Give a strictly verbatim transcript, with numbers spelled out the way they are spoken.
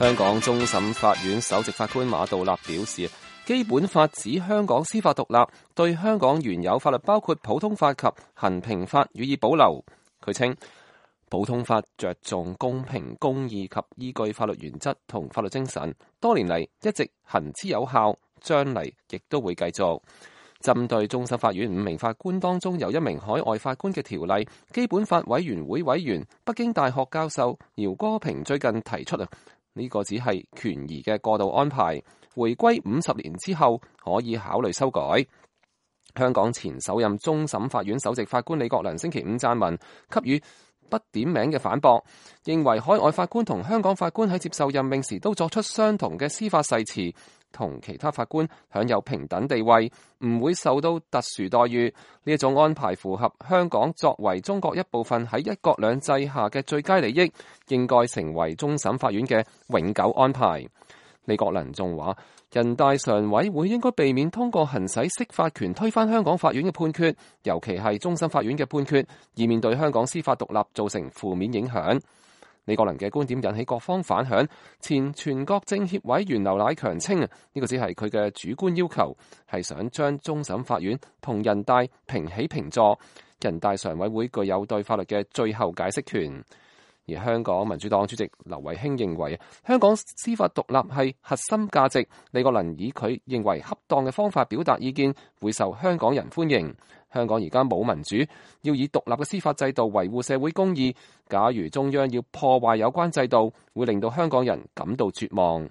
香港終審法院首席法官馬道立表示，基本法指香港司法獨立，對香港原有法律包括普通法及衡平法予以保留。佢稱，普通法着重公平公義及依據法律原則同法律精神，多年嚟一直行之有效，將嚟亦都會繼續。針對終審法院五名法官當中有一名海外法官嘅條例，基本法委員會委員、北京大學教授饒戈平最近提出啊，呢個只係權宜嘅過渡安排，回歸五十年之後可以考慮修改。香港前首任終審法院首席法官李國能星期五撰文，給予不點名嘅反駁，認為海外法官同香港法官喺接受任命時都作出相同嘅司法誓詞，同其他法官享有平等地位，唔會受到特殊待遇。呢一種安排符合香港作為中國一部分喺一國兩制下嘅最佳利益，應該成為終審法院嘅永久安排。李國能仲話，人大常委會應該避免通過行使釋法權推翻香港法院嘅判決，尤其係終審法院嘅判決，以免對香港司法獨立造成負面影響。李國能嘅觀點引起各方反響。前全國政協委員劉乃強稱，呢個只係佢嘅主觀要求，係想將終審法院同人大平起平坐，人大常委會具有對法律嘅最後解釋權。而香港民主黨主席劉慧卿認為，香港司法獨立係核心價值。李國能以佢認為恰當嘅方法表達意見，會受香港人歡迎。香港而家冇民主，要以獨立嘅司法制度維護社會公義。假如中央要破壞有關制度，會令到香港人感到絕望。